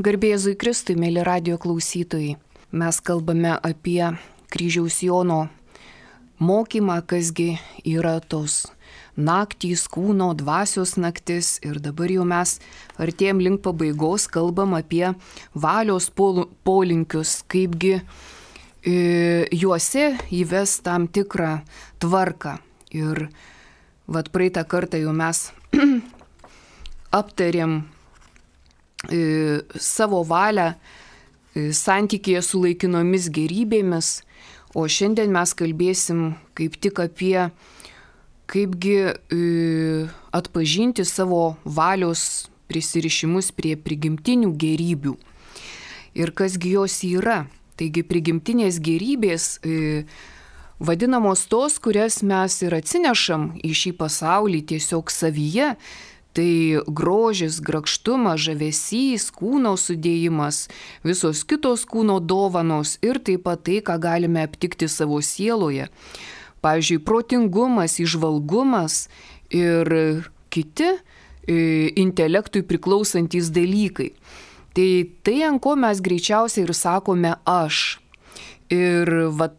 Garbė Jėzui Kristui, mėly radijo klausytojai. Mes kalbame apie Kryžiaus Jono mokymą, kasgi yra tos naktys, kūno, dvasios naktis. Ir dabar jau mes artėjom link pabaigos, kalbam apie valios polinkius, kaipgi juose įves tam tikrą tvarką. Ir praeitą kartą jau mes aptarėm savo valią santykėje su laikinomis gerybėmis, o šiandien mes kalbėsim kaip tik apie kaipgi atpažinti savo valios prisirišimus prie prigimtinių gerybių ir kasgi jos yra. Taigi prigimtinės gerybės vadinamos tos, kurias mes ir atsinešam į šį pasaulį tiesiog savyje. Tai grožis, grakštumas, žavesys, kūno sudėjimas, visos kitos kūno dovanos ir taip pat tai, ką galime aptikti savo sieloje. Pavyzdžiui, protingumas, įžvalgumas ir kiti intelektui priklausantys dalykai. Tai ant ko mes greičiausiai ir sakome aš. Ir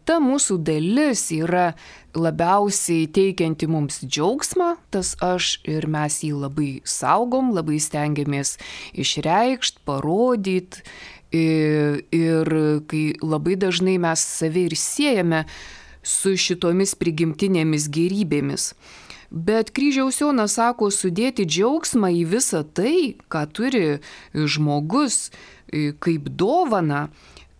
ta mūsų dalis yra labiausiai teikianti mums džiaugsmą, tas aš, ir mes jį labai saugom, labai stengiamės išreikšti, parodyti. Ir kai labai dažnai mes save ir siejame su šitomis prigimtinėmis gerybėmis. Bet Kryžiaus Jonas sako sudėti džiaugsmą į visą tai, ką turi žmogus kaip dovana,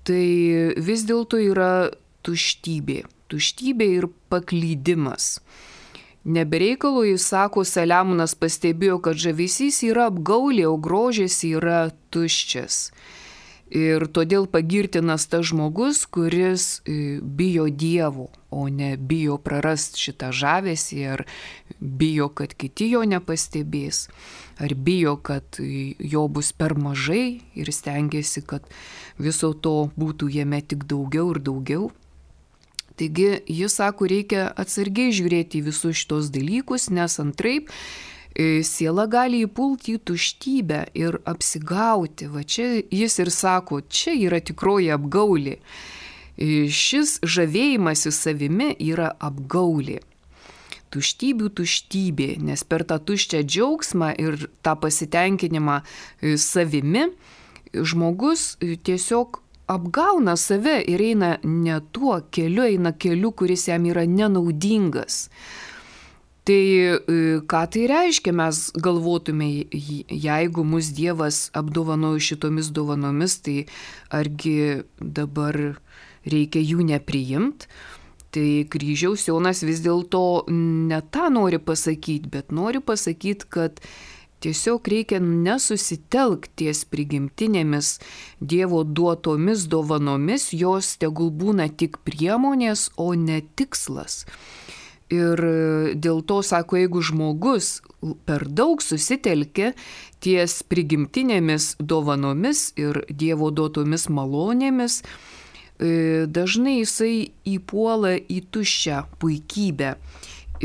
tai vis dėlto yra tuštybė. Tuštybė ir paklydimas. Nebereikalo jis sako, Saliamonas pastebėjo, kad žavesys yra apgaulė, o grožis yra tuščias. Ir todėl pagirtinas tas žmogus, kuris bijo Dievo, o ne bijo prarast šitą žavesį, ar bijo, kad kiti jo nepastebės, ar bijo, kad jo bus per mažai ir stengiasi, kad viso to būtų jame tik daugiau ir daugiau. Taigi jis sako, reikia atsargiai žiūrėti į visus šitos dalykus, nes antraip siela gali įpulti į tuštybę ir apsigauti. Va čia jis ir sako, čia yra tikroji apgaulė. Šis žavėjimasis savimi yra apgaulė. Tuštybių tuštybė, nes per tą tuščią džiaugsmą ir tą pasitenkinimą savimi žmogus tiesiog apgauna save ir eina ne tuo keliu, eina keliu, kuris jam yra nenaudingas. Tai ką tai reiškia, mes galvotume, jeigu mus Dievas apdovanojo šitomis dovanomis, tai argi dabar reikia jų nepriimti? Tai Kryžiaus Jonas vis dėlto ne tą nori pasakyti, bet nori pasakyti, kad tiesiog reikia nesusitelkti ties prigimtinėmis Dievo duotomis dovanomis, jos tegul būna tik priemonės, o ne tikslas. Ir dėl to, sako, jeigu žmogus per daug susitelkia ties prigimtinėmis dovanomis ir Dievo duotomis malonėmis, dažnai jisai įpuola į tuščią puikybę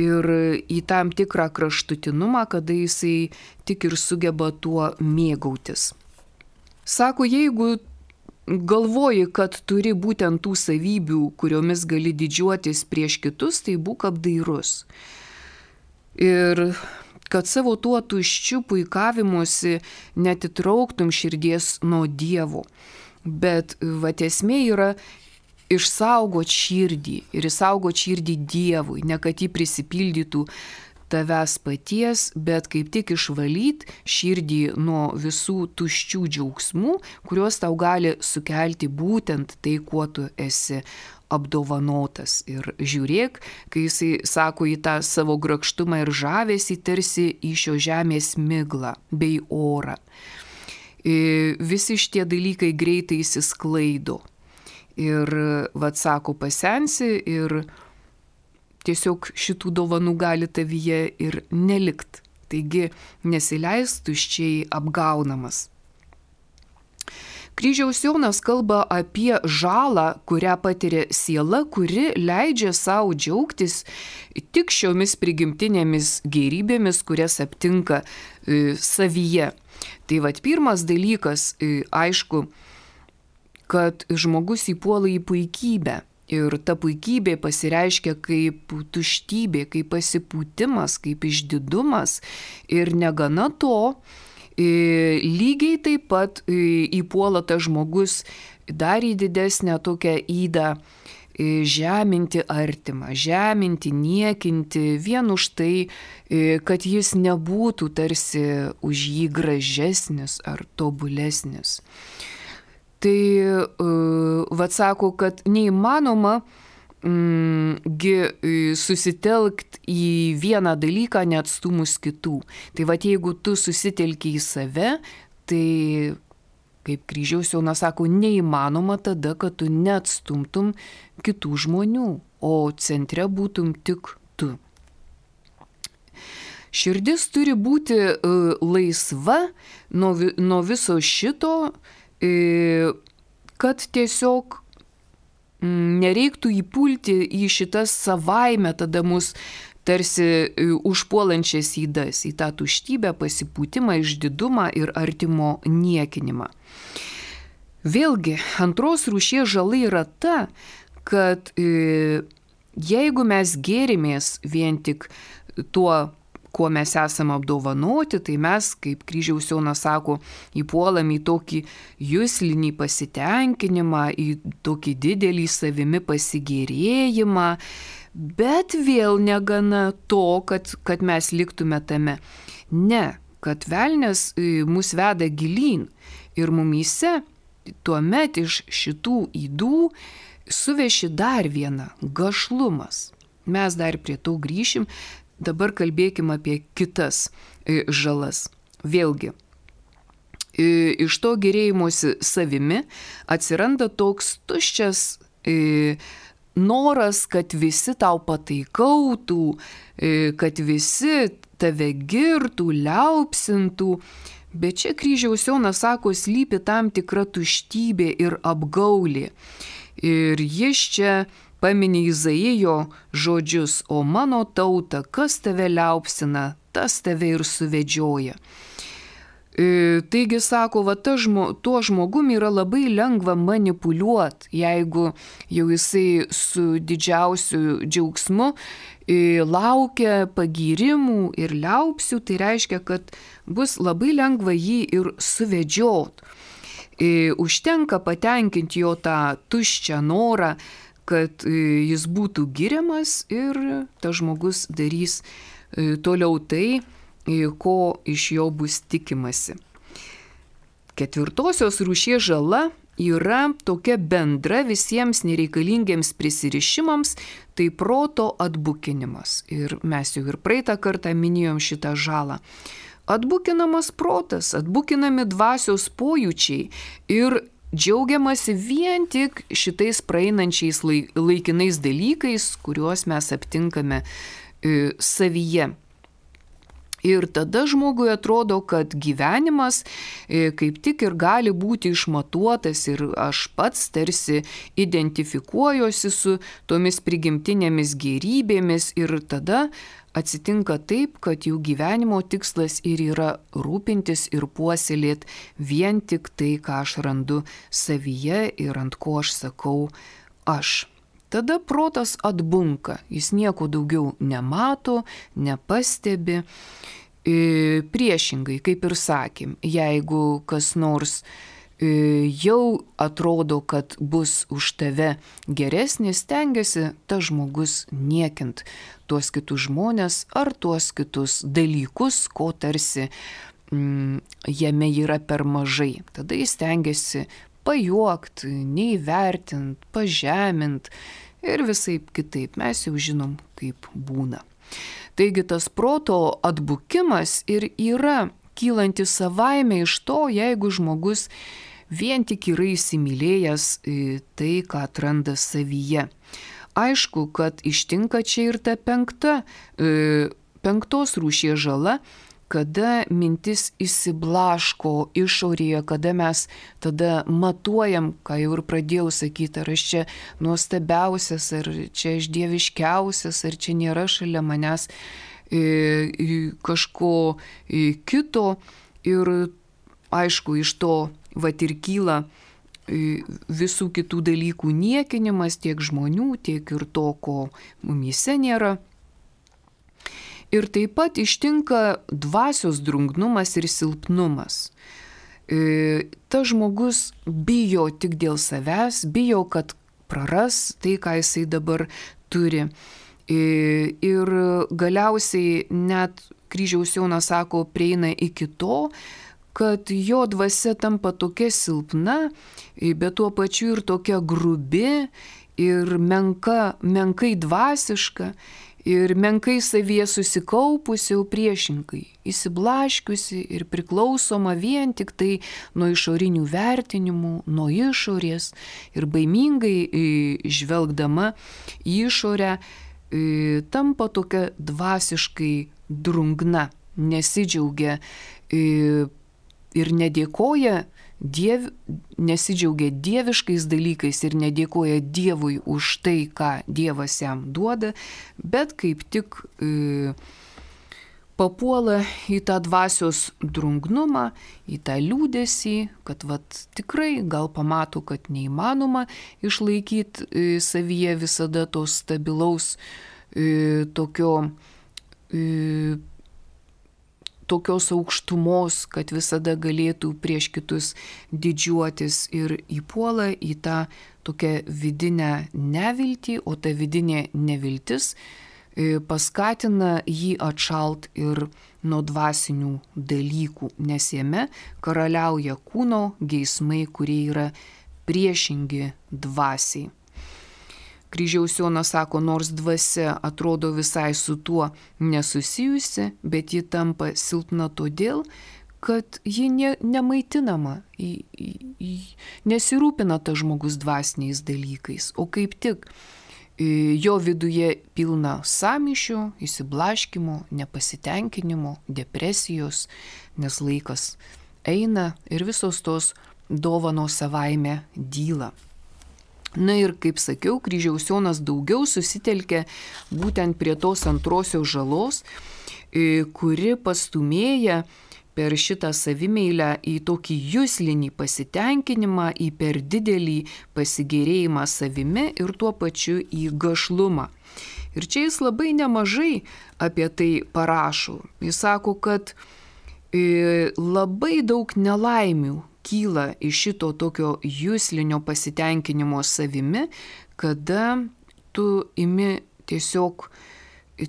ir į tam tikrą kraštutinumą, kada jisai tik ir sugeba tuo mėgautis. Sako, jeigu galvoji, kad turi būtent tų savybių, kuriomis gali didžiuotis prieš kitus, tai būk apdairus. Ir kad savo tuo tuščiu puikavimuose netitrauktum širdies nuo Dievo. Bet esmė yra išsaugot širdį ir išsaugot širdį Dievui, ne kad jį prisipildytų tavęs paties, bet kaip tik išvalyti širdį nuo visų tuščių džiaugsmų, kuriuos tau gali sukelti būtent tai, kuo tu esi apdovanotas. Ir žiūrėk, kai jisai sako į tą savo grakštumą ir žavesį, tarsi į šio žemės miglą bei orą. Visi šitie dalykai greitai įsisklaido. Ir, sako, pasensi ir tiesiog šitų dovanų gali tavyje ir nelikt. Taigi nesileis tuščiai apgaunamas. Kryžiaus Jonas kalba apie žalą, kurią patiria siela, kuri leidžia savo džiaugtis tik šiomis prigimtinėmis gėrybėmis, kurias aptinka savyje. Tai vat pirmas dalykas, aišku, kad žmogus įpuola į puikybę. Ir ta puikybė pasireiškia kaip tuštybė, kaip pasipūtimas, kaip išdidumas. Ir negana to, lygiai taip pat įpuola tas žmogus dar į didesnę tokią ydą žeminti artimą, žeminti, niekinti vien už tai, kad jis nebūtų tarsi už jį gražesnis ar tobulesnis. Tai vat sako, kad neįmanoma susitelkti į vieną dalyką neatstumus kitų. Tai vat jeigu tu susitelki į save, tai kaip Kryžiaus Jonas sako, neįmanoma tada, kad tu neatstumtum kitų žmonių, o centre būtum tik tu. Širdis turi būti laisva nuo viso šito, kad tiesiog nereiktų įpulti į šitas savaime tada mus tarsi užpuolančias ydas, į tą tuštybę, pasipūtimą, išdidumą ir artimo niekinimą. Vėlgi, antros rūšies žala yra ta, kad jeigu mes gėrimės vien tik tuo, kuo mes esame apdovanoti, tai mes, kaip Kryžiaus Jonas sako, įpuolam į tokį juslinį pasitenkinimą, į tokį didelį savimi pasigėrėjimą, bet vėl negana to, kad mes liktume tame. Ne, kad velnias mus veda gilyn ir mumyse tuomet iš šitų ydų suveši dar vieną – gašlumas. Mes dar prie to grįšim. Dabar kalbėkime apie kitas žalas. Vėlgi, iš to gėrėjimosi savimi atsiranda toks tuščias noras, kad visi tau pataikautų, kad visi tave girtų, liaupsintų. Bet čia Kryžiaus Jonas sako, slypi tam tikra tuštybė ir apgaulė. Ir jis čia pamini Izaijo žodžius, o mano tauta, kas tave liaupsina, tas tave ir suvedžioja. Taigi sako, va, tuo žmogum yra labai lengva manipuliuoti, jeigu jau jisai su didžiausiu džiaugsmu laukia pagyrimų ir liaupsių, tai reiškia, kad bus labai lengva jį ir suvedžiot. Užtenka patenkinti jo tą tuščią norą, kad jis būtų giriamas ir tas žmogus darys toliau tai, ko iš jo bus tikimasi. Ketvirtosios rūšies žala yra tokia bendra visiems nereikalingiems prisirišimams, tai proto atbukinimas. Ir mes jau ir praeitą kartą minėjom šitą žalą. Atbukinamas protas, atbukinami dvasios pojūčiai ir džiaugiamasi vien tik šitais praeinančiais laikinais dalykais, kuriuos mes aptinkame savyje. Ir tada žmogui atrodo, kad gyvenimas kaip tik ir gali būti išmatuotas ir aš pats tarsi identifikuojuosi su tomis prigimtinėmis gėrybėmis ir tada atsitinka taip, kad jų gyvenimo tikslas ir yra rūpintis ir puoselėti vien tik tai, ką aš randu savyje ir ant ko aš sakau aš. Tada protas atbunka, jis nieko daugiau nemato, nepastebi. Priešingai, kaip ir sakėm, jeigu kas nors jau atrodo, kad bus už tave geresnis, stengiasi tas žmogus niekint tuos kitus žmonės ar tuos kitus dalykus, ko tarsi jame yra per mažai. Tada jis stengiasi pajuokt, neįvertint, pažemint ir visaip kitaip. Mes jau žinom, kaip būna. Taigi tas proto atbukimas ir yra kylantis savaime iš to, jeigu žmogus vien tik yra įsimylėjęs tai, ką atranda savyje. Aišku, kad ištinka čia ir ta penktos rūšies žala, kada mintis įsiblaško išorėje, kada mes tada matuojam, ką jau ir pradėjau sakyti, ar aš čia nuostabiausias, ar čia aš dieviškiausias, ar čia nėra šalia manęs kažko kito. Ir aišku, iš to ir kyla visų kitų dalykų niekinimas, tiek žmonių, tiek ir to, ko mumyse nėra. Ir taip pat ištinka dvasios drungnumas ir silpnumas. Tas žmogus bijo tik dėl savęs, bijo, kad praras tai, ką jisai dabar turi. Ir galiausiai net Kryžiaus Jonas sako, prieina iki to, kad jo dvasia tampa tokia silpna, bet tuo pačiu ir tokia grubi ir menkai dvasiška ir menkai savyje susikaupusi, jau priešingai, įsiblaškiusi ir priklausoma vien tik tai nuo išorinių vertinimų, nuo išorės ir baimingai žvelgdama į išorę tampa tokia dvasiškai drungna, nesidžiaugia ir nedėkoja nesidžiaugia dieviškais dalykais ir nedėkoja Dievui už tai, ką Dievas jam duoda, bet kaip tik papuola į tą dvasios drungnumą, į tą liūdesį, kad tikrai gal pamato, kad neįmanoma išlaikyti savyje visada to stabilaus tokios aukštumos, kad visada galėtų prieš kitus didžiuotis ir įpuola į tą tokią vidinę neviltį, o ta vidinė neviltis paskatina jį atšalt ir nuo dvasinių dalykų, nes jame karaliauja kūno geismai, kurie yra priešingi dvasiai. Kryžiaus Jonas sako, nors dvasia atrodo visai su tuo nesusijusi, bet ji tampa silpna todėl, kad ji nemaitinama, nesirūpina tas žmogus dvasiniais dalykais, o kaip tik jo viduje pilna sąmyšių, įsiblaškimo, nepasitenkinimo, depresijos, nes laikas eina ir visos tos dovanos savaime dyla. Na ir kaip sakiau, Kryžiaus Jonas daugiau susitelkė būtent prie tos antrosios žalos, kuri pastumėja per šitą savimeilę į tokį juslinį pasitenkinimą, į per didelį pasigėrėjimą savimi ir tuo pačiu į gašlumą. Ir čia jis labai nemažai apie tai parašo. Jis sako, kad labai daug nelaimių kyla iš šito tokio juslinio pasitenkinimo savimi, kada tu imi tiesiog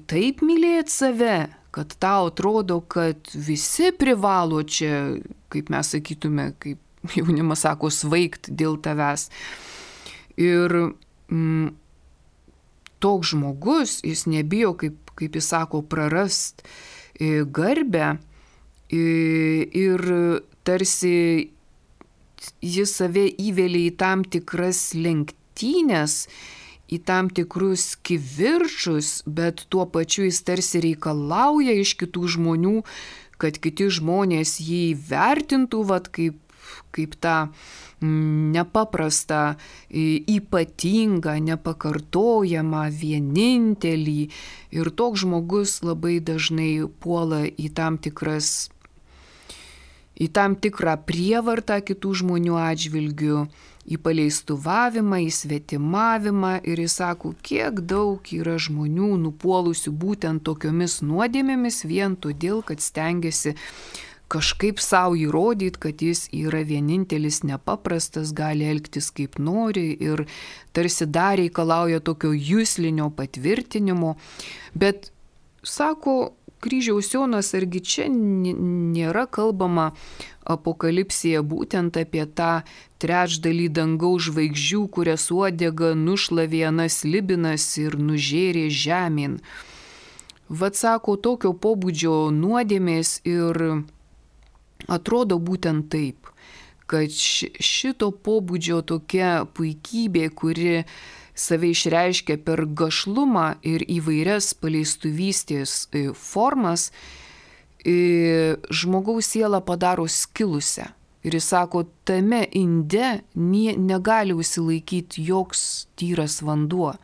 taip mylėti save, kad tau atrodo, kad visi privalo čia, kaip mes sakytume, kaip jaunimas sako, svaigt dėl tavęs. Ir toks žmogus, jis nebijo, kaip jis sako, prarast garbę ir tarsi jis save įvelia į tam tikras lenktynės, į tam tikrus kivirčus, bet tuo pačiu jis tarsi reikalauja iš kitų žmonių, kad kiti žmonės jį vertintų kaip tą nepaprastą, ypatingą, nepakartojamą, vienintelį. Ir toks žmogus labai dažnai puola į tam tikrą prievartą kitų žmonių atžvilgių, į paleistuvavimą, į svetimavimą ir jis sako, kiek daug yra žmonių nupuolusių būtent tokiomis nuodėmėmis vien todėl, kad stengiasi kažkaip savo įrodyti, kad jis yra vienintelis nepaprastas, gali elgtis kaip nori ir tarsi dar reikalauja tokio juslinio patvirtinimo. Bet sako Kryžiaus Jonas, argi čia nėra kalbama apokalipsėje būtent apie tą trečdalį dangaus žvaigždžių, kurias uodega nušlavė anas Libinas ir nužėrė žemėn. Sako, tokio pobūdžio nuodėmės ir atrodo būtent taip, kad šito pobūdžio tokia puikybė, kuri save išreiškia per gašlumą ir įvairias paleistuvystės formas, žmogaus sielą padaro skilusią. Ir jis sako, tame inde negali užsilaikyti joks tyras vanduo.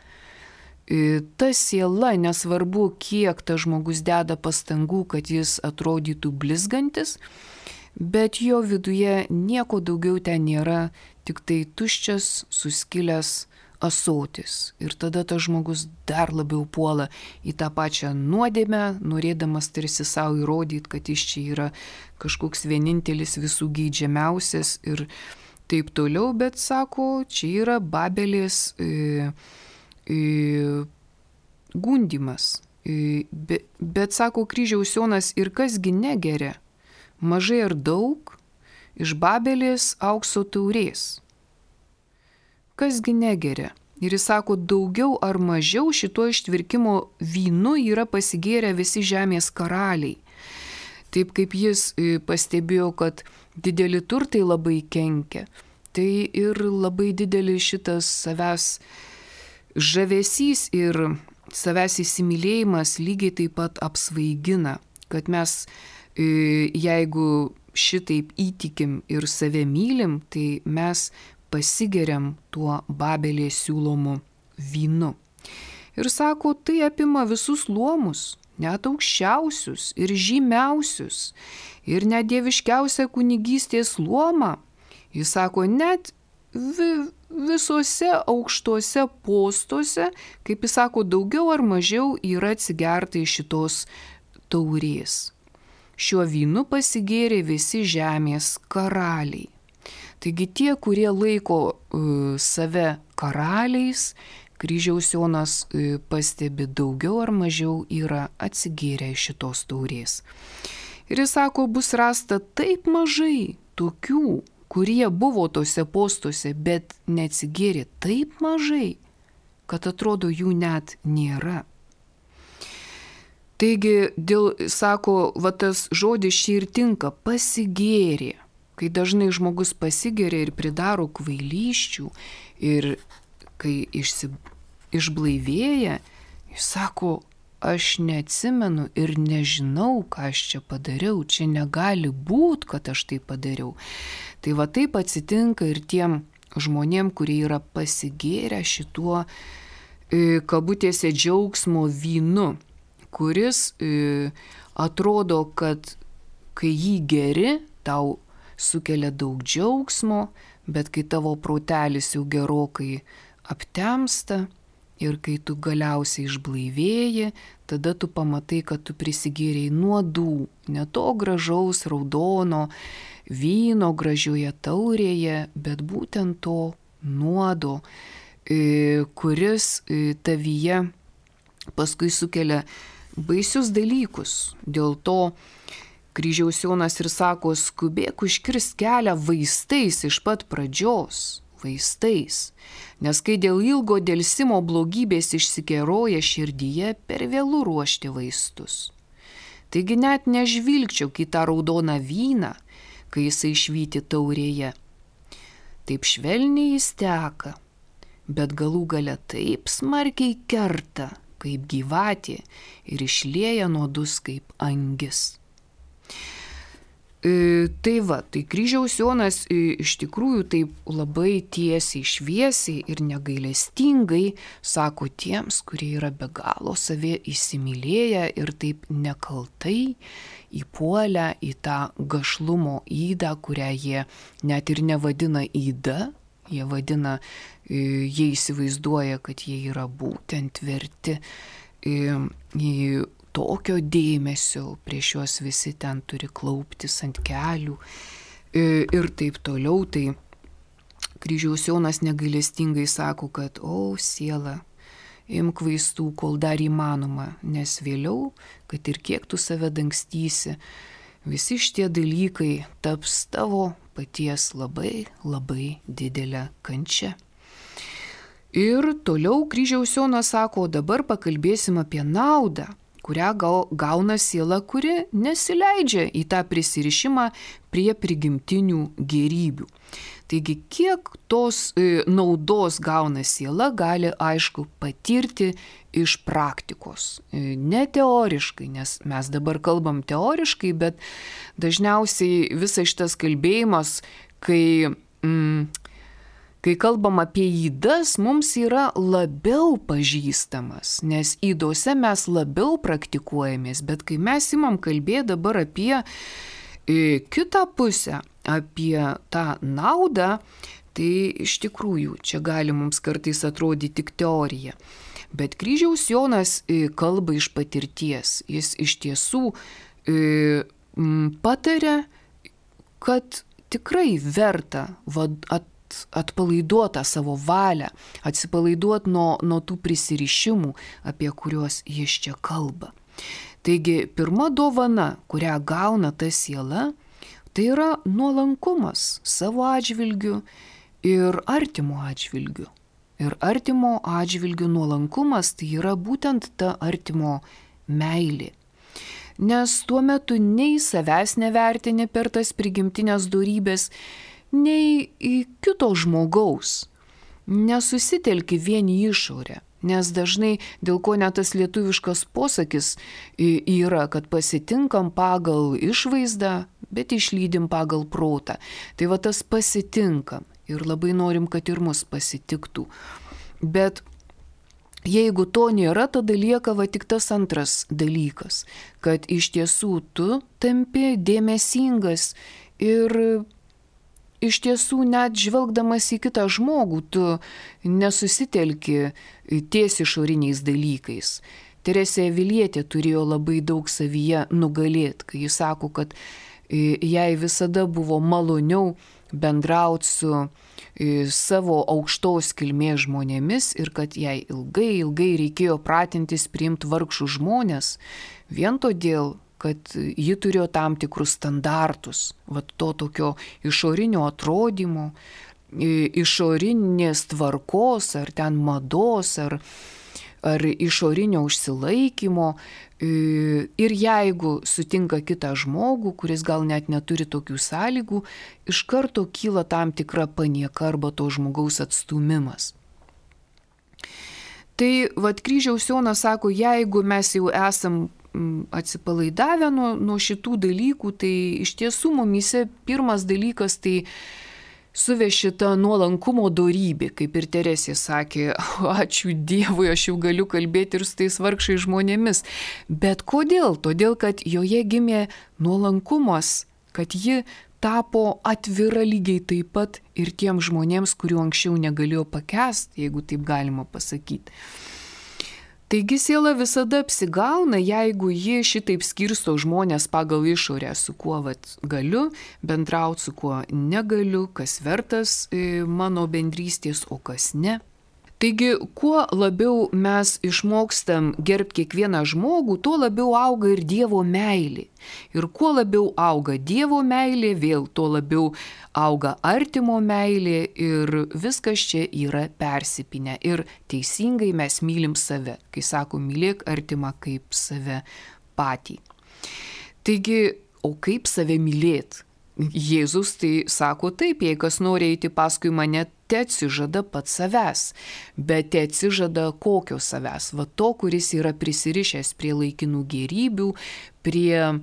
Ta siela, nesvarbu, kiek tas žmogus deda pastangų, kad jis atrodytų blizgantis, bet jo viduje nieko daugiau ten nėra, tik tai tuščias, suskilęs ąsotis. Ir tada tas žmogus dar labiau puola į tą pačią nuodėmę, norėdamas tarsi savo įrodyti, kad jis čia yra kažkoks vienintelis visų geidžiamiausias ir taip toliau, bet sako, čia yra Babelės gundymas. Bet sako kryžiaus Jonas, ir kasgi negeria, mažai ar daug, iš Babelės aukso taurės. Kasgi negeria. Ir jis sako, daugiau ar mažiau šituo ištvirkimo vynu yra pasigėrę visi žemės karaliai. Taip kaip jis pastebėjo, kad dideli turtai labai kenkia, tai ir labai didelis šitas savęs žavesys ir savęs įsimylėjimas lygiai taip pat apsvaigina, kad mes jeigu šitaip įtikim ir save mylim, tai mes pasigeriam tuo Babelės siūlomu vynu. Ir sako, tai apima visus luomus, net aukščiausius ir žymiausius, ir net dieviškiausią kunigystės luomą. Jis sako, net visuose aukštuose postuose, kaip jis sako, daugiau ar mažiau yra atsigerta iš šitos taurės. Šiuo vynu pasigėrė visi žemės karaliai. Taigi tie, kurie laiko save karaliais, kryžiaus Jonas pastebi, daugiau ar mažiau yra atsigėrę iš šitos taurės. Ir jis sako, bus rasta taip mažai tokių, kurie buvo tose postuose, bet neatsigėrė taip mažai, kad atrodo jų net nėra. Taigi, sako, va tas žodis čia ir tinka, pasigėrė. Kai dažnai žmogus pasigeria ir pridaro kvailysčių ir kai išblaivėja, jis sako, aš neatsimenu ir nežinau, ką aš čia padariau, čia negali būti, kad aš tai padariau. Tai va taip atsitinka ir tiem žmonėm, kurie yra pasigėrę šituo kabutėse džiaugsmo vynu, kuris atrodo, kad kai jį geri, tau sukelia daug džiaugsmo, bet kai tavo protelis jau gerokai aptemsta ir kai tu galiausiai išblaivėji, tada tu pamatai, kad tu prisigėrei nuodų, ne to gražaus raudono vyno gražioje taurėje, bet būtent to nuodo, kuris tavyje paskui sukelia baisius dalykus. Dėl to kryžiaus Jonas ir sako, skubėk užkirst kelią vaistais iš pat pradžios, vaistais, nes kai dėl ilgo delsimo blogybės išsikeroja širdyje, per vėlu ruošti vaistus. Taigi net nežvilgčiau į tą raudoną vyną, kai jisai švyti taurėje. Taip švelniai jis teka, bet galų gale taip smarkiai kerta, kaip gyvatė, ir išlieja nuodus kaip angis. Tai va, tai kryžiaus Jonas iš tikrųjų taip labai tiesiai, šviesiai ir negailestingai sako tiems, kurie yra be galo save įsimylėję ir taip nekaltai įpuolę į tą gašlumo ydą, kurią jie net ir nevadina yda, jie įsivaizduoja, kad jie yra būtent verti į tokio dėmesio, prieš juos visi ten turi klauptis ant kelių ir taip toliau. Tai kryžiaus Jonas negailestingai sako, kad siela, imk vaistų, kol dar įmanoma, nes vėliau, kad ir kiek tu save dangstysi, visi šitie dalykai taps tavo paties labai, labai didelė kančia. Ir toliau kryžiaus Jonas sako, dabar pakalbėsim apie naudą, kurią gauna siela, kuri nesileidžia į tą prisirišimą prie prigimtinių gėrybių. Taigi, kiek tos naudos gauna siela, gali aišku patirti iš praktikos. Ne teoriškai, nes mes dabar kalbam teoriškai, bet dažniausiai visas šitas kalbėjimas, kai kalbam apie ydas, mums yra labiau pažįstamas, nes ydose mes labiau praktikuojamės, bet kai mes imam kalbėti dabar apie kitą pusę, apie tą naudą, tai iš tikrųjų čia gali mums kartais atrodyti tik teorija. Bet kryžiaus Jonas kalba iš patirties. Jis iš tiesų pataria, kad tikrai verta atpalaiduoti savo valią, atsipalaiduoti nuo tų prisirišimų, apie kuriuos jis čia kalba. Taigi, pirma dovana, kurią gauna ta siela, tai yra nuolankumas savo atžvilgiu ir artimo atžvilgiu. Ir artimo atžvilgiu nuolankumas tai yra būtent ta artimo meilė. Nes tuo metu nei savęs nevertini per tas prigimtinės dorybės, nei į kito žmogaus. Nesusitelki vien į išorę. Nes dažnai, dėl ko net tas lietuviškas posakis yra, kad pasitinkam pagal išvaizdą, bet išlydim pagal protą. Tai va tas pasitinkam. Ir labai norim, kad ir mus pasitiktų. Bet jeigu to nėra, tada lieka tik tas antras dalykas, kad iš tiesų tu tampi dėmesingas ir iš tiesų net žvelgdamas į kitą žmogų, tu nesusitelki ties išoriniais dalykais. Teresė Avilietė turėjo labai daug savyje nugalėti, kai jis sako, kad jai visada buvo maloniau bendrauti su savo aukštos kilmės žmonėmis ir kad jai ilgai reikėjo pratintis priimti vargšų žmonės, vien todėl, kad ji turėjo tam tikrus standartus, to tokio išorinio atrodymo, išorinės tvarkos, ar ten mados, ar išorinio užsilaikymo. Ir jeigu sutinka kitą žmogų, kuris gal net neturi tokių sąlygų, iš karto kyla tam tikra panieka arba to žmogaus atstūmimas. Tai kryžiaus Jonas sako, jeigu mes jau esam atsipalaidavę nuo šitų dalykų, tai iš tiesų mumyse pirmas dalykas tai suveši tą nuolankumo dorybė, kaip ir Teresė sakė, ačiū Dievui, aš jau galiu kalbėti ir su tais vargšais žmonėmis. Bet kodėl? Todėl, kad joje gimė nuolankumas, kad ji tapo atvira lygiai taip pat ir tiem žmonėms, kurių anksčiau negalėjo pakęsti, jeigu taip galima pasakyti. Taigi siela visada apsigauna, jeigu ji šitaip skirsto žmonės pagal išorę, su kuo galiu bendrauti, su kuo negaliu, kas vertas mano bendrystės, o kas ne. Taigi, kuo labiau mes išmokstam gerbti kiekvieną žmogų, tuo labiau auga ir Dievo meilė. Ir kuo labiau auga Dievo meilė, vėl tuo labiau auga artimo meilė ir viskas čia yra persipinę. Ir teisingai mes mylim save, kai sako, mylėk artimą kaip save patį. Taigi, o kaip save mylėti? Jėzus tai sako taip, jei kas nori eiti paskui mane, te atsižada pats savęs, bet te atsižada kokio savęs, to, kuris yra prisirišęs prie laikinų gėrybių, prie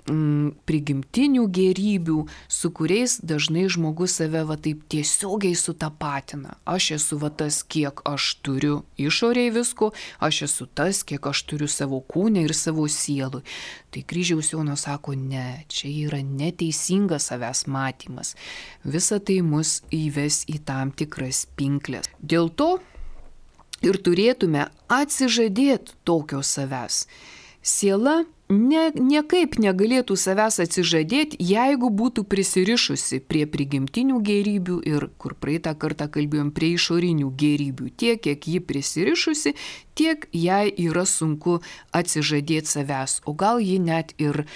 prigimtinių gėrybių, su kuriais dažnai žmogus save taip tiesiogiai sutapatina. Aš esu tas, kiek aš turiu išoriai visko, aš esu tas, kiek aš turiu savo kūne ir savo sielui. Tai kryžiaus Jonas sako, ne, čia yra neteisingas savęs matymas. Visa tai mus įves į tam tikras pinkles. Dėl to ir turėtume atsižadėti tokio savęs. Siela niekaip negalėtų savęs atsižadėti, jeigu būtų prisirišusi prie prigimtinių gėrybių ir, kur praeitą kartą kalbėjom, prie išorinių gėrybių. Tiek, kiek ji prisirišusi, tiek jai yra sunku atsižadėti savęs. O gal ji net ir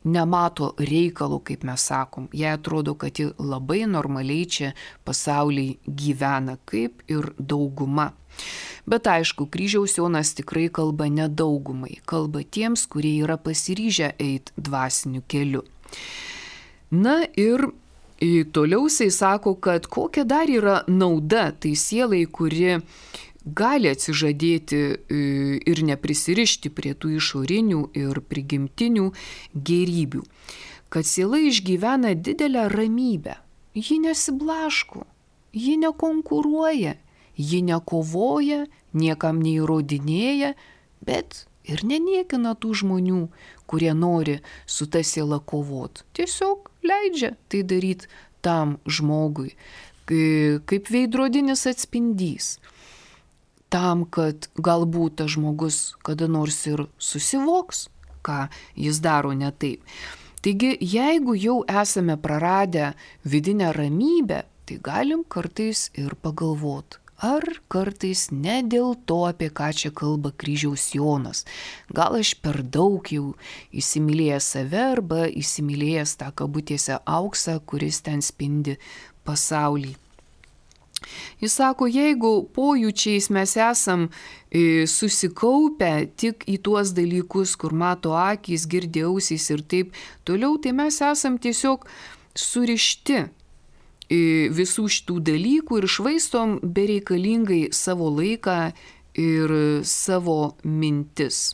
nemato reikalo, kaip mes sakom. Jai atrodo, kad ji labai normaliai čia pasaulyje gyvena, kaip ir dauguma. Bet aišku, kryžiaus Jonas tikrai kalba ne daugumai, kalba tiems, kurie yra pasiryžę eiti dvasiniu keliu. Na ir toliau jisai sako, kad kokia dar yra nauda tai sielai, kuri gali atsižadėti ir neprisirišti prie tų išorinių ir prigimtinių gėrybių. Kad siela išgyvena didelę ramybę, ji nesiblaško, ji nekonkuruoja. Ji nekovoja, niekam neįrodinėja, bet ir neniekina tų žmonių, kurie nori su ta siela kovot. Tiesiog leidžia tai daryti tam žmogui, kaip veidrodinis atspindys. Tam, kad galbūt tas žmogus kada nors ir susivoks, ką jis daro ne taip. Taigi, jeigu jau esame praradę vidinę ramybę, tai galim kartais ir pagalvoti, ar kartais ne dėl to, apie ką čia kalba Kryžiaus Jonas. Gal aš per daug jau įsimylėjęs save arba įsimylėjęs tą kabutėse auksą, kuris ten spindi pasaulį. Jis sako, jeigu pojūčiais mes esam susikaupę tik į tuos dalykus, kur mato akys, girdi ausys ir taip toliau, tai mes esam tiesiog surišti visų šitų dalykų ir švaistom bereikalingai savo laiką ir savo mintis.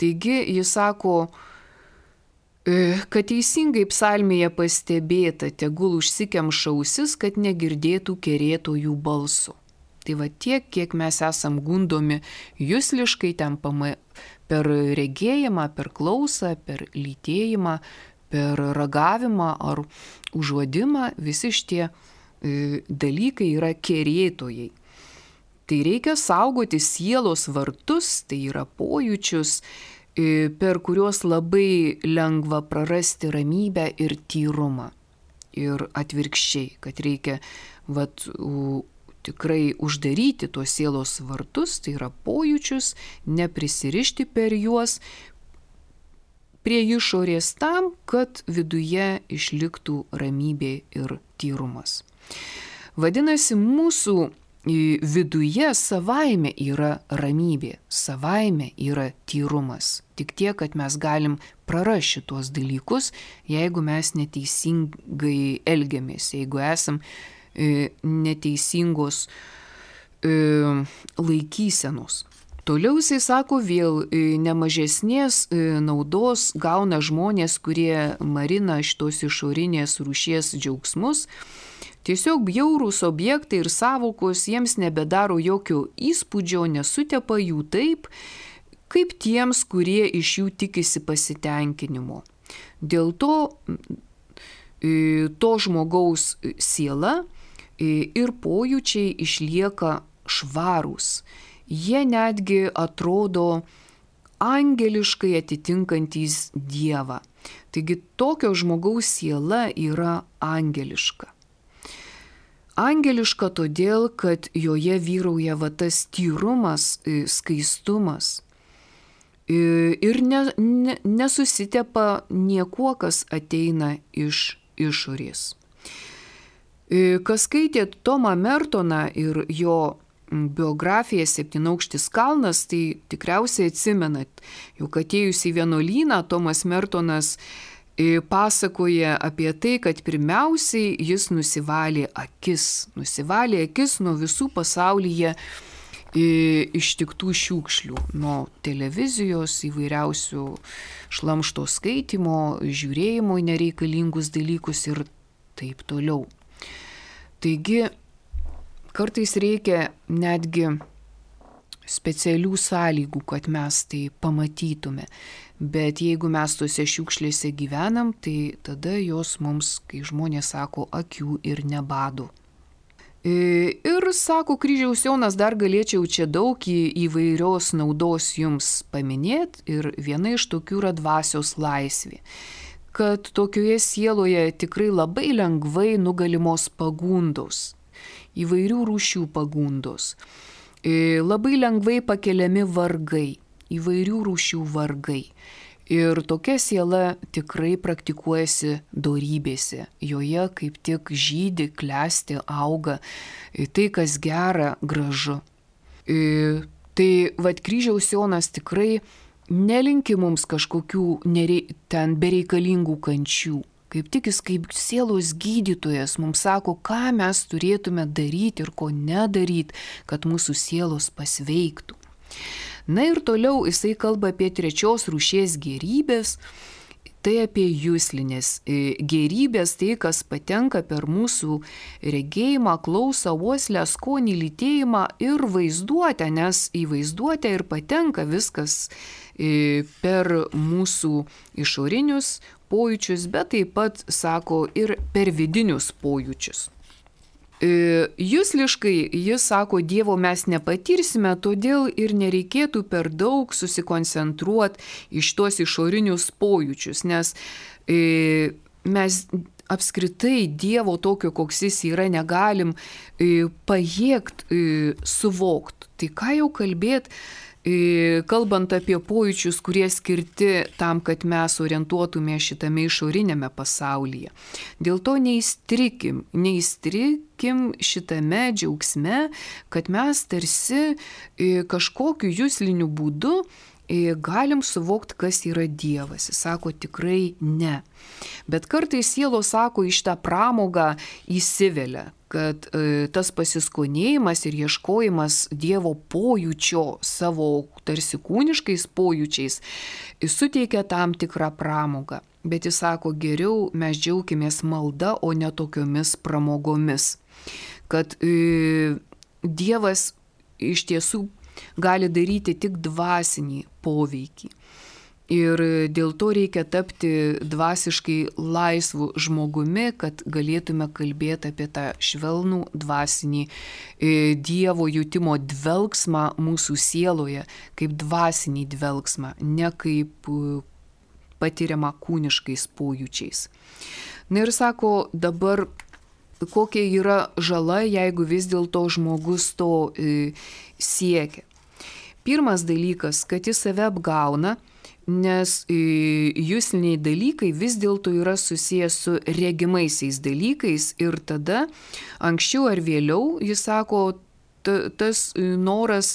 Taigi jis sako, kad teisingai psalmėje pastebėta, tegul užsikemša ausis, kad negirdėtų kerėtojų balso. Tai va tiek, kiek mes esam gundomi jusliškai ten per regėjimą, per klausą, per lytėjimą, per ragavimą ar užuodimą, visi šitie dalykai yra kerėtojai. Tai reikia saugoti sielos vartus, tai yra pojūčius, per kuriuos labai lengva prarasti ramybę ir tyrumą. Ir atvirkščiai, kad reikia tikrai uždaryti tuos sielos vartus, tai yra pojūčius, neprisirišti per juos prie išorės tam, kad viduje išliktų ramybė ir tyrumas. Vadinasi, mūsų viduje savaime yra ramybė, savaime yra tyrumas. Tik tiek, kad mes galim prarasti tuos dalykus, jeigu mes neteisingai elgiamės, jeigu esam neteisingos laikysenos. Toliau jisai sako, vėl nemažesnės naudos gauna žmonės, kurie marina šitos išorinės rūšies džiaugsmus. Tiesiog bjaurūs objektai ir sąvokos jiems nebedaro jokio įspūdžio, nesutepa jų taip, kaip tiems, kurie iš jų tikisi pasitenkinimo. Dėl to žmogaus siela ir pojūčiai išlieka švarūs. Jie netgi atrodo angeliškai atitinkantys Dievą. Taigi tokio žmogaus siela yra angeliška. Angeliška todėl, kad joje vyrauja tas tyrumas, skaistumas ir nesusitepa niekuo, kas ateina iš išorės. Kas skaitė Tomą Mertoną ir jo biografiją Septynaukštis kalnas, tai tikriausiai atsimenat, juk atėjus į vienuolyną Tomas Mertonas pasakoja apie tai, kad pirmiausiai jis nusivalė akis nuo visų pasaulyje ištiktų šiukšlių, nuo televizijos, įvairiausių šlamšto skaitimo, žiūrėjimo į nereikalingus dalykus ir taip toliau. Taigi, kartais reikia netgi specialių sąlygų, kad mes tai pamatytume. Bet jeigu mes tose šiukšlėse gyvenam, tai tada jos mums, kai žmonės sako, akių ir nebado. Ir sako Kryžiaus Jonas, dar galėčiau čia daug įvairios naudos jums paminėti ir viena iš tokių yra dvasios laisvė. Kad tokioje sieloje tikrai labai lengvai nugalimos pagundos, įvairių rūšių pagundos. Labai lengvai pakeliami vargai, įvairių rūšių vargai. Ir tokia siela tikrai praktikuojasi dorybėse. Joje kaip tik žydi, klesti, auga tai, kas gera, gražu. Tai Kryžiaus Jonas tikrai nelinki mums kažkokių ten bereikalingų kančių. Kaip tik jis kaip sielos gydytojas mums sako, ką mes turėtume daryti ir ko nedaryti, kad mūsų sielos pasveiktų. Na ir toliau jisai kalba apie trečios rūšies gėrybės tai apie juslinės gėrybės, tai kas patenka per mūsų regėjimą, klausą, uoslę, skonį, lytėjimą ir vaizduotę, nes į vaizduotę ir patenka viskas per mūsų išorinius pojūčius, bet taip pat, sako, ir per vidinius pojūčius. Jusliškai jis sako, Dievo mes nepatirsime, todėl ir nereikėtų per daug susikoncentruoti iš tuos išorinius pojūčius, nes mes apskritai Dievo tokio, koks jis yra, negalim pajėgti suvokti. Tai ką jau kalbėti, kalbant apie pojūčius, kurie skirti tam, kad mes orientuotume šitame išorinėme pasaulyje. Dėl to neįstrikim šitame džiaugsme, kad mes tarsi kažkokiu jusliniu būdu galim suvokti, kas yra Dievas. Jis sako, tikrai ne. Bet kartais sielos, sako, iš tą pramogą įsivelia, kad tas pasiskonėjimas ir ieškojimas Dievo pojūčio savo tarsi kūniškais pojūčiais suteikia tam tikrą pramogą. Bet jis sako, geriau mes džiaukimės malda, o ne tokiomis pramogomis. Kad Dievas iš tiesų gali daryti tik dvasinį poveikį. Ir dėl to reikia tapti dvasiškai laisvu žmogumi, kad galėtume kalbėti apie tą švelnų dvasinį Dievo jutimo dvelgsmą mūsų sieloje, kaip dvasinį dvelgsmą, ne kaip patiriamą kūniškais pojūčiais. Na ir sako, dabar kokia yra žala, jeigu vis dėlto žmogus to siekia. Pirmas dalykas, kad jis save apgauna, nes jusliniai dalykai vis dėlto yra susijęs su regimaisiais dalykais ir tada anksčiau ar vėliau, jis sako, tas noras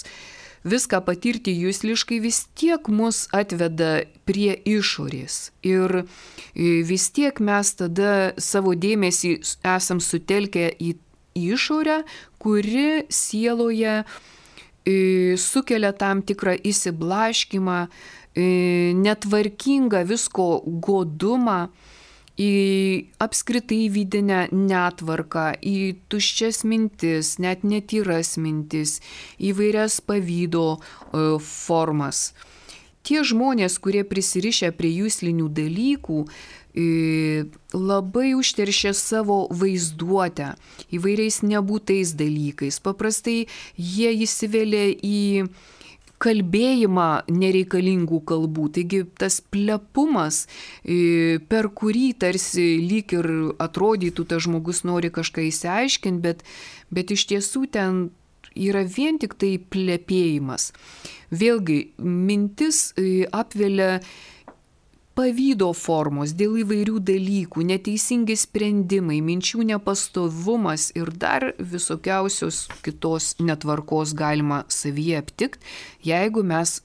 viską patirti jusliškai vis tiek mus atveda prie išorės. Ir vis tiek mes tada savo dėmesį esam sutelkę į išorę, kuri sieloje sukelia tam tikrą įsiblaškimą, netvarkingą visko godumą, į apskritai vidinę netvarką, į tuščias mintis, net netyras mintis, įvairias pavydo formas. Tie žmonės, kurie prisirišę prie juslinių dalykų, labai užteršia savo vaizduotę įvairiais nebūtais dalykais. Paprastai jie įsivelia į kalbėjimą nereikalingų kalbų. Taigi tas plepumas, per kurį tarsi lyg ir atrodytų, tas žmogus nori kažką įsiaiškinti, bet iš tiesų ten yra vien tik tai plepėjimas. Vėlgi, mintis apvelia pavydo formos dėl įvairių dalykų, neteisingi sprendimai, minčių nepastovumas ir dar visokiausios kitos netvarkos galima savyje aptikti, jeigu mes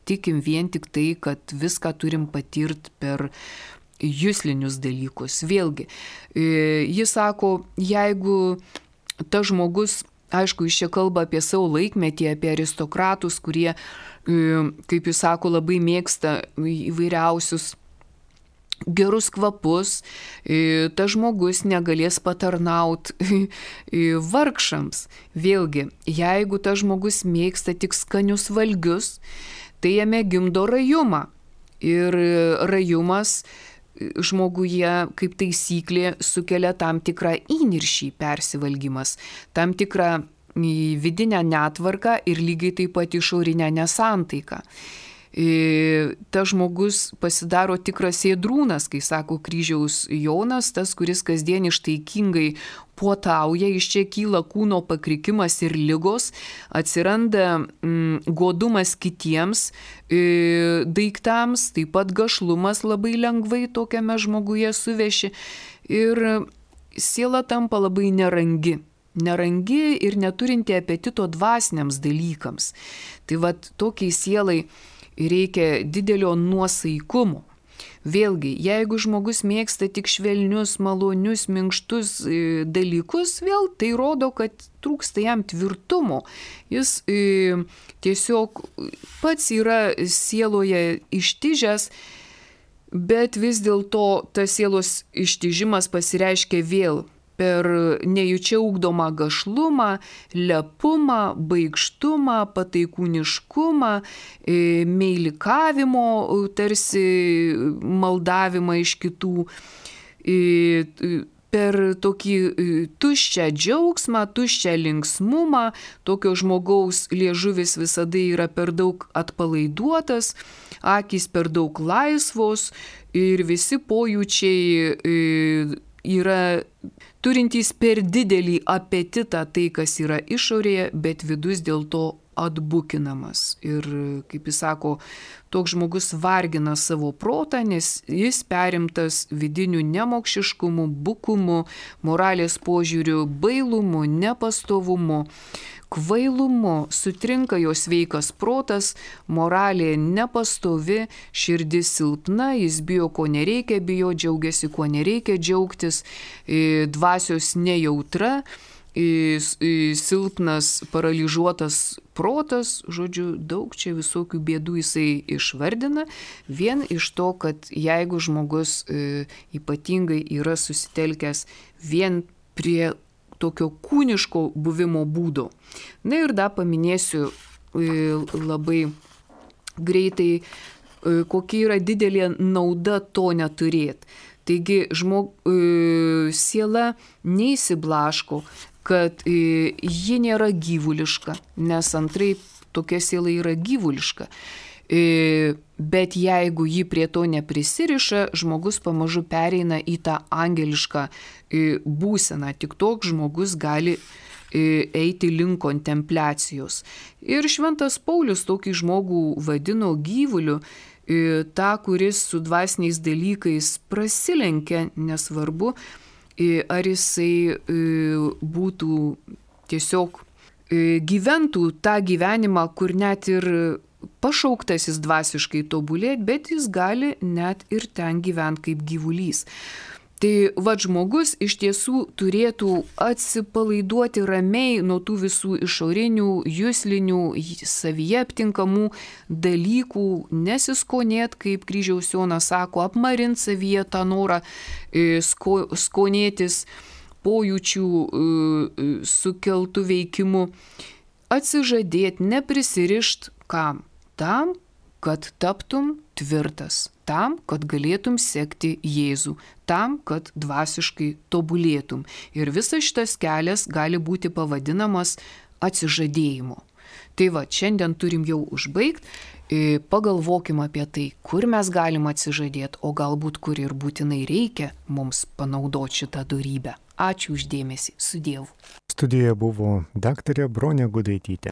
tikim vien tik tai, kad viską turim patirti per juslinius dalykus. Vėlgi, jis sako, jeigu tas žmogus, aišku, jis čia kalba apie savo laikmetį, apie aristokratus, kurie, kaip jis sako, labai mėgsta įvairiausius gerus kvapus, tas žmogus negalės patarnauti vargšams. Vėlgi, jeigu tas žmogus mėgsta tik skanius valgius, tai jame gimdo rajumą. Ir rajumas žmoguje, kaip taisyklė, sukelia tam tikrą įniršį, persivalgymas, tam tikrą vidinę netvarką ir lygiai taip pat išorinę nesantaiką. Tas žmogus pasidaro tikras ėdrūnas, kai sako kryžiaus Jonas, tas, kuris kasdien ištaikingai puotauja, iš čia kyla kūno pakrikimas ir ligos, atsiranda godumas kitiems daiktams, taip pat gašlumas labai lengvai tokiame žmoguje suveši ir siela tampa labai nerangi ir neturinti apetito dvasiniams dalykams. Tai vat tokiai sielai reikia didelio nuosaikumo. Vėlgi, jeigu žmogus mėgsta tik švelnius, malonius, minkštus dalykus, vėl tai rodo, kad trūksta jam tvirtumo. Jis tiesiog pats yra sieloje ištižęs, bet vis dėlto tas sielos ištižimas pasireiškia vėl per nejučia ugdomą gašlumą, lepumą, baikštumą, pataikūniškumą, meilikavimo, tarsi maldavimą iš kitų, per tokį tuščią džiaugsmą, tuščią linksmumą, tokio žmogaus liežuvis visada yra per daug atpalaiduotas, akys per daug laisvos ir visi pojūčiai yra turintys per didelį apetitą tai, kas yra išorėje, bet vidus dėl to atbukinamas. Ir, kaip jis sako, toks žmogus vargina savo protą, nes jis perimtas vidiniu nemokšiškumu, bukumu, moralės požiūriu, bailumu, nepastovumu, kvailumu, sutrinka jo sveikas protas, moralė nepastovi, širdis silpna, jis bijo, ko nereikia bijoti, džiaugiasi, kuo nereikia džiaugtis, dvasios nejautra, silpnas, paralyžiuotas protas, žodžiu, daug čia visokių bėdų jisai išvardina, vien iš to, kad jeigu žmogus ypatingai yra susitelkęs vien prie tokio kūniško buvimo būdo. Na ir dar paminėsiu labai greitai, kokia yra didelė nauda to neturėti. Taigi siela neįsiblaško, kad ji nėra gyvuliška, nes antraip tokia siela yra gyvuliška. Bet jeigu ji prie to neprisiriša, žmogus pamažu pereina į tą angelišką būseną. Tik toks žmogus gali eiti link kontempliacijos. Ir šventas Paulius tokį žmogų vadino gyvuliu, tą, kuris su dvasiniais dalykais prasilenkia, nesvarbu, ar jisai būtų tiesiog gyventų tą gyvenimą, kur net ir pašauktasis dvasiškai tobulėti, bet jis gali net ir ten gyventi kaip gyvulys. Tai žmogus iš tiesų turėtų atsipalaiduoti ramiai nuo tų visų išorinių, juslinių, savyje aptinkamų dalykų, nesiskonėti, kaip Kryžiaus Jonas sako, apmarint savyje tą norą skonėtis pojūčių sukeltų veikimu, atsižadėti, neprisirišt kam? Tam, kad taptum tvirtas, tam, kad galėtum sekti Jėzų, tam, kad dvasiškai tobulėtum. Ir visas šitas kelias gali būti pavadinamas atsižadėjimu. Tai šiandien turim jau užbaigti, pagalvokim apie tai, kur mes galim atsižadėti, o galbūt kur ir būtinai reikia mums panaudoti šitą dorybę. Ačiū už dėmesį, su Dievu. Studijoje buvo daktarė Bronė Gudaitytė.